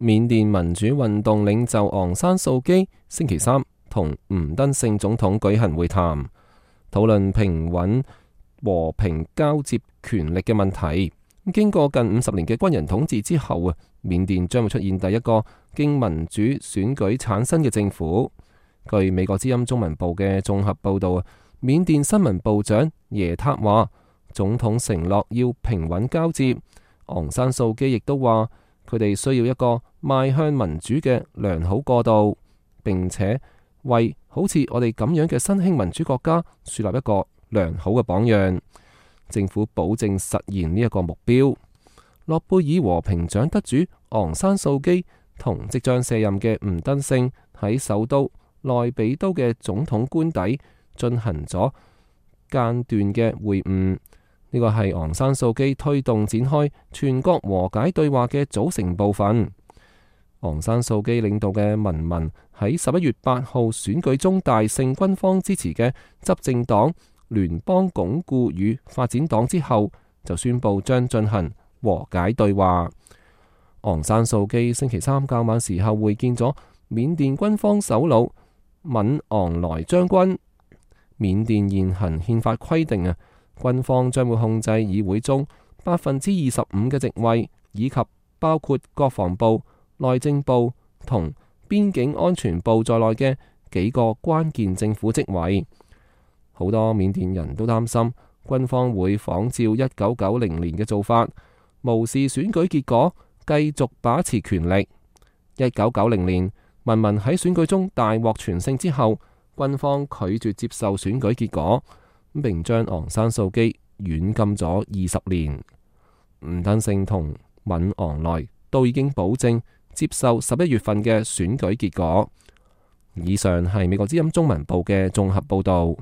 緬甸民主運動領袖昂山素基星期三同吳登盛總統舉行會談，討論平穩和平交接權力嘅問題。經過近50年嘅軍人統治之後啊，緬甸將會出現第一個經民主選舉產生嘅政府。據美國之音中文部嘅綜合報道啊，緬甸新聞部長耶塔話，總統承諾要平穩交接。昂山素基亦都話，佢哋需要一個邁向民主嘅良好過渡，並且為好似我哋咁樣嘅新興民主國家樹立一個良好嘅榜樣。政府保證實現呢一個目標。諾貝爾和平獎得主昂山素基同即將卸任嘅吳登盛喺首都內比都嘅總統官邸進行咗間斷嘅會晤。呢個係昂山素基推動展開全國和解對話嘅組成部分。昂山素基領導嘅民盟喺11月8號選舉中大勝軍方支持嘅執政黨聯邦鞏固與發展黨之後，就宣布將進行和解對話。昂山素基星期三較晚時候會見咗緬甸軍方首腦敏昂萊將軍。緬甸現行憲法規定啊，軍方將會控制議會中25%嘅席位，以及包括國防部、內政部同邊境安全部在內嘅幾個關鍵政府職位。好多緬甸人都擔心軍方會仿照1990年嘅做法，無視選舉結果，繼續把持權力。1990年，民盟喺選舉中大獲全勝之後，軍方拒絕接受選舉結果，並將昂山素基軟禁咗20年。吳登盛同敏昂萊都已經保證接受11月份嘅選舉結果。以上係美國之音中文部嘅綜合報道。